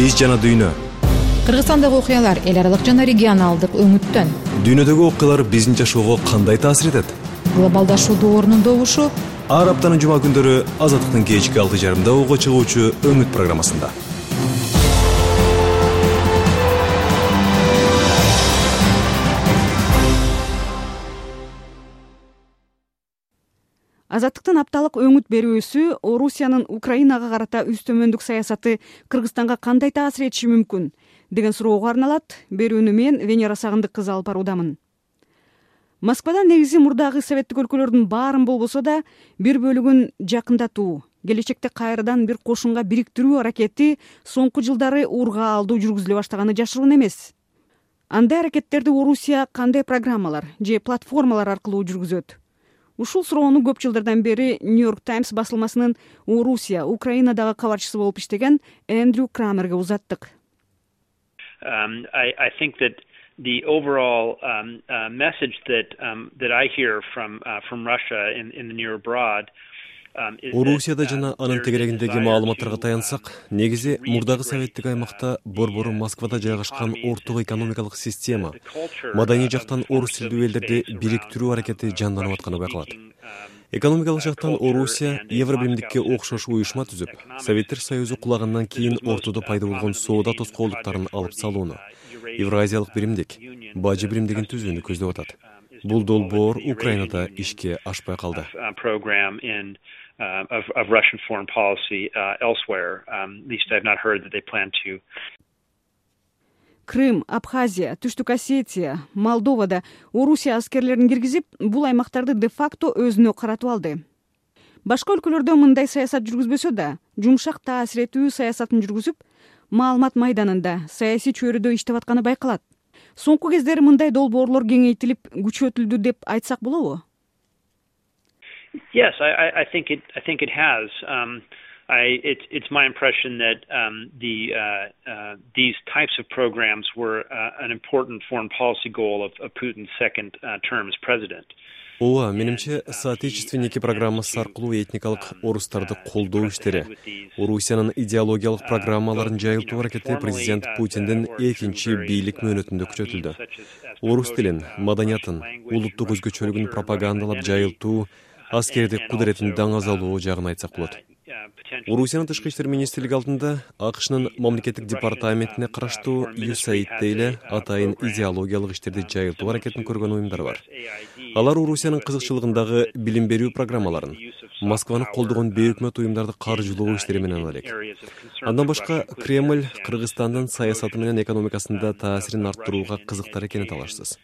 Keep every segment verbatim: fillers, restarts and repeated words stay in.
Биз жана дүйнө. Кыргызстандагы окуялар эл аралык жана регионалдык өңүттөн. Дүйнөдөгү окуялар биздин жашоого кандай таасир этет? Глобалдашуу доорунун добушу ар аптанын жума күндөрү Азаттыктын кечки алты жарымда ого чыгуучу өңүт программасында. Азаттыктын апталык өңүт берүүсү Орусиянын Украинага карата үстөмөндүк саясаты Кыргызстанга кандай таасир этиши мүмкүн деген суроого арналат. Берүүнү мен Венера Сагындык кызы алып баруудамын. Москвада негизи мурдагы советтик өлкөлөрдүн баарын болбосо да бир бөлүгүн жакындатуу, келечекте кайрадан бир кошунга бириктирүү аракети соңку жылдары урга алдуу жүргүзүлө баштаганы жашыруун эмес. Андай аракеттерди Орусия кандай программалар же платформалар аркылуу жүргүзөт? Ушул суроону көп жылдардан бери Нью-Йорк Таймс басылмасынын Орусия, Украинадагы кабарчысы болуп иштеген Эндрю Крамерге узаттык. Um, I, I think that the overall um, uh, message that um, that I hear from uh, from Russia in, in the near abroad. Орусияда жана анын тегерегиндеги маалыматтарга таянсак, негизи мурдагы советтик аймакта борбору Москвада жайгашкан орток экономикалык система, маданий жактан орус тилдүү элдерди бириктирүү аракети жанданып атканы байкалат. Экономикалык жактан Орусия Евробиримдикке окшош уюшма түзүп, Советтер Союзу кулагандан кийин ортодо пайда болгон соода тоскоолдуктарын алып салууну, Евразиялык биримдик, бажы биримдигин түзүүнү көздөп атат. Бул долбоор Украинада ишке ашпай калды. Uh, of, of Russian foreign policy uh, elsewhere. Um, at least I've not heard that they plan to. Крым, Абхазия, Түштүк Осетия, Молдовада Орусия аскерлерин киргизип, бул аймактарды де-факто өзүнө каратып алды. Башка өлкөлөрдө мындай саясат жүргүзбөсө да, жумшак таасир этүү саясатын жүргүзүп, маалымат майданында, саясий чөйрөдө иштеп атканы байкалат. Соңку кездери мындай долбоорлор кеңейтилип, күчөтүлдү деп айтсак болобу? Yes, I, I think it. I think it has. Um, I, it's, it's my impression that um, the uh, uh, these types of programs were uh, an important foreign policy goal of, of Putin's second uh, term as president. Ооба, менимче, соотечественники программасы аркылуу этникалык орустарды колдоо иштери, Орусиянын идеологиялык программаларын жайылтуу аракети президент Путиндин экинчи бийлик мөөнөтүндө күчөтүлдү. Орус тилин, маданиятын, улуттук өзгөчөлүгүн пропагандалап жайылтуу, аскердик кудуретин даңазалоо жагын айтсак болот. Орусиянын тышкы иштер министрлиги алдында АКШнын мамлекеттик департаментине караштуу ю эс эй ай ди эле атайын идеологиялык иштерди жайылтуу аракетин көргөн уюмдар бар. Алар Орусиянын кызыкчылыгындагы билим берүү программаларын, Москваны колдогон бейөкмөт уюмдарды каржылоо иштери менен алек. Андан башка Кремль Кыргызстандын саясаты менен экономикасында таасирин арттырууга кызыктар экени талашсыз.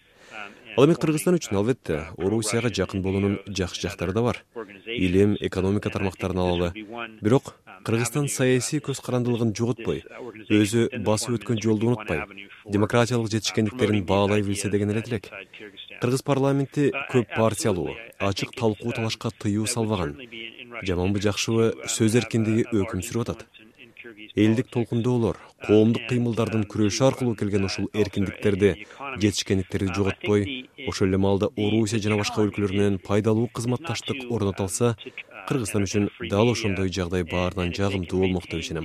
Ал эми Кыргызстан үчүн албетте Орусияга жакын болуунун жакшы жактары да бар. Илим, экономика тармактарын алалы. Бирок Кыргызстан саясий көз карандылыгын жоготпой, өзү басып өткөн жолду унутпай, демократиялык жетишкендиктерин баалай билсе деген эле тилек. Кыргыз парламенти көп партиялуу, ачык талкуу талашка тыюу салбаган. Жаманбы жакшыбы сөз эркиндиги өкүм сүрүп атат. Элдик толкундоолор, коомдук кыймылдардын күрөшү аркылуу келген ушул эркиндиктерди, жетишкендиктерди жоготпой, ошол эле маалда Орусия жана башка өлкөлөр менен пайдалуу кызматташтык орното алса, Кыргызстан үчүн дал ошондой жагдай баарынан жагымдуу болмок деп ишенем.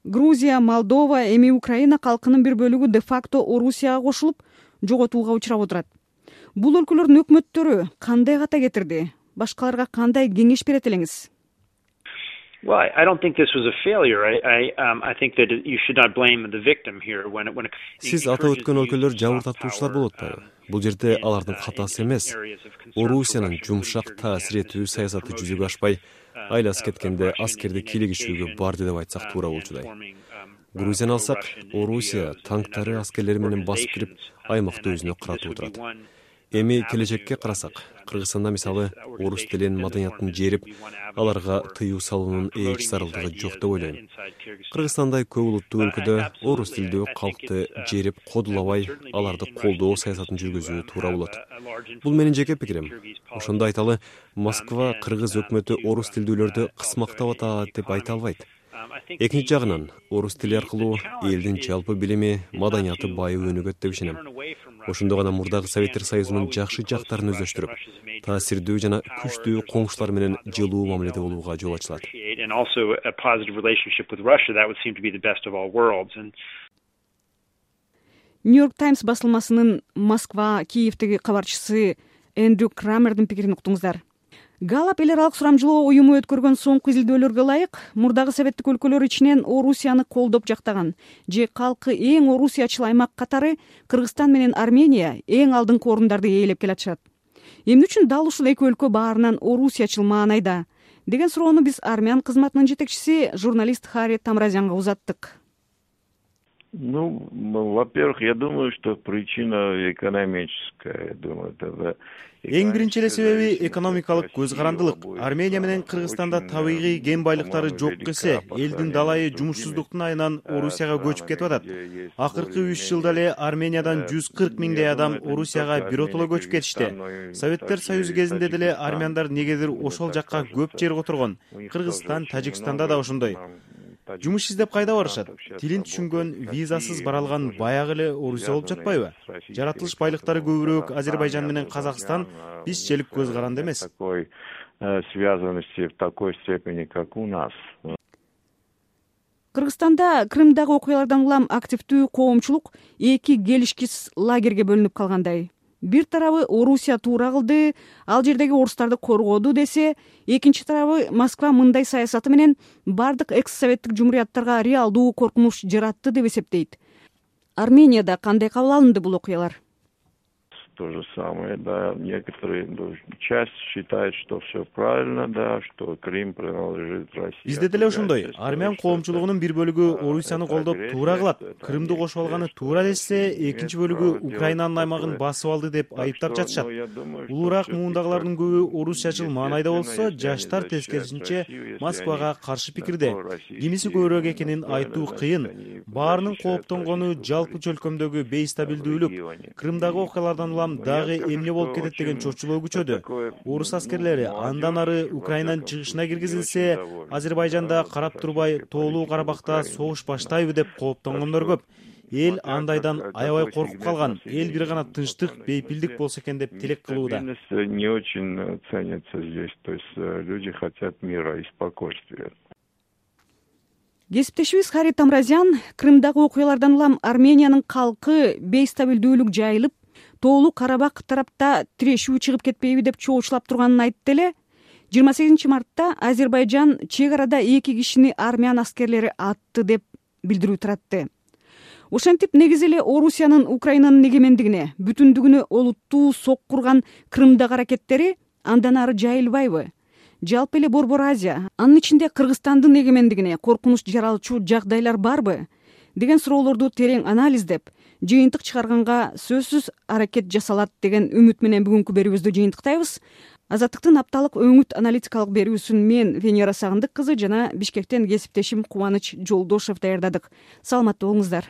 Грузия, Молдова, эми Украина калкынын бир бөлүгү де-факто Орусияга кошулуп, жоготууга учурап отурат. Бул өлкөлөрдүн өкмөттөрү кандай ката кетирди? Башкаларга кандай кеңеш берет элеңиз? Well, I don't think this was a failure. I, I, um, I think that you should not blame the victim here when it, when it... Сиз атап өткөн өлкөлөр жабыр тартуучулар болуп атпайбы? Бул жерде алардын катасы эмес. Орусиянын жумшак таасир этүү саясаты жүзөгө ашпай, айласы кеткенде аскерди кийлигишүүгө барды деп айтсак туура болчудай. Грузияны алсак, Орусия танктары аскерлери менен басып кирип, аймакты өзүнө каратып отурат. Эми келечекке карасак, Кыргызстанда мисалы орус тилин, маданиятын жерип, аларга тыюу салуунун эч зарылдыгы жок деп ойлойм. Кыргызстандай көп улуттуу өлкөдө орус тилдүү калкты жерип, кодулабай, аларды колдоо саясатын жүргүзүү туура болот. Бул менин жеке пикирим. Ошондо айталы, Москва кыргыз өкмөтү орус тилдүүлөрдү кысмактап атат деп айта албайт. Экинчи жагынан, орус тили аркылуу элдин жалпы билими, маданияты байып өнүгөт деп ишенем. ошондо гана мурдагы Советтер Союзунун жакшы жактарын өздөштүрүп, таасирдүү жана күчтүү коңшулар менен жылуу мамиледе болууга жол ачылат. Нью-Йорк Таймс басылмасынын Москва, Киевдеги кабарчысы Эндрю Крамердин пикирин уктуңуздар. Галлап эл аралык сурамжылоо уюму өткөргөн соңку изилдөөлөргө ылайык, мурдагы советтик өлкөлөр ичинен Орусияны колдоп жактаган же калкы эң орусиячыл аймак катары Кыргызстан менен Армения эң алдыңкы орундарды ээлеп келатышат. Эмне үчүн дал ушул эки өлкө баарынан орусиячыл маанайда деген суроону биз армян кызматынын жетекчиси журналист Хари Тамразянга узаттык. Ну, во-первых, я думаю, что причина экономическая. Думаю, это Эң биринчи эле себеби экономикалык көз карандылык. Армения менен Кыргызстанда табигый кен байлыктары жок эсе, элдин далайы жумушсуздуктун айынан Орусияга көчүп кетип атат. Акыркы үч жылда эле Армениядан жүз кырк миңдей адам Орусияга биротоло көчүп кетишти. Советтер Союзу кезинде деле армяндар негедир ошол жакка көп жер которгон. Кыргызстан, Тажикстанда да ошондой. Жумуш издеп кайда барышат? Тилин түшүнгөн, визасыз бара алган баягы эле Орусия болуп жатпайбы? Жаратылыш байлыктары көбүрөөк Азербайжан менен Казакстан, бизчелик көз каранды эмес. Такой связанности в такой степени, как у нас. Кыргызстанда Крымдагы окуялардан улам активдүү коомчулук эки келишкис лагерге бөлүнүп калгандай. Бир тарабы Орусия туура кылды, ал жердеги орустарды коргоду десе, экинчи тарабы Москва мындай саясаты менен бардык экс-советтик жумурияттарга реалдуу коркунуч жаратты деп эсептейт. Арменияда кандай кабыл алынды бул окуялар? То же самое, да, некоторые часть считает, что все правильно, да, что Крым принадлежит России. Бизде деле ошондой. Армян коомчулугунун бир бөлүгү Орусияны колдоп туура кылат. Крымды кошуп алганы туура десе, экинчи бөлүгү Украинанын аймагын басып алды деп айыптап жатышат. Улуураак муундагылардын көбү орусчачыл маанайда болсо, жаштар тескерисинче Москвага каршы пикирде. Кимиси көбүрөөк экенин айтуу кыйын. Баарынын кооптонгону жалпы чөлкөмдөгү бейстабилдүүлүк. Крымдагы окуялардан улам дагы эмне болуп кетет деген чочулоо күчөдү. Орус аскерлери андан ары Украинанын чыгышына киргизилсе, Азербайжанда карап турбай Тоолуу Карабакта согуш баштайбы деп кооптонгондор көп. Эл андайдан аябай коркуп калган. Эл бир гана тынчтык, бейпилдик болсо экен деп тилек кылууда. Не очень ценится здесь, то есть люди хотят мира и спокойствия. Кесиптешибиз Хари Тамразян Крымдагы окуялардан улам Армениянын калкы бейстабилдүүлүк жайылып, Тоолуу Карабак тарапта тирешүү чыгып кетпейби деп чоочулап турганын айтты эле. жыйырма сегизинчи мартта Азербайжан чек арада эки кишини армян аскерлери атты деп билдирүү таратты. Ошентип негизи эле Орусиянын Украинанын эгемендигине, бүтүндүгүнө олуттуу сок курган Крымдагы аракеттери андан ары жайылбайбы? Жалпы эле Борбор Азия, анын ичинде Кыргызстандын эгемендигине коркунуч жаралчу жагдайлар барбы? Деген суроолорду терең анализдеп, жыйынтык чыгарганга сөзсүз аракет жасалат деген үмүт менен бүгүнкү берүүбүздү жыйынтыктайбыз. Азаттыктын апталык өңүт аналитикалык берүүсүн мен Венера Сагындык кызы жана Бишкектен кесиптешим Кубаныч Жолдошев даярдадык. Саламатта болуңуздар.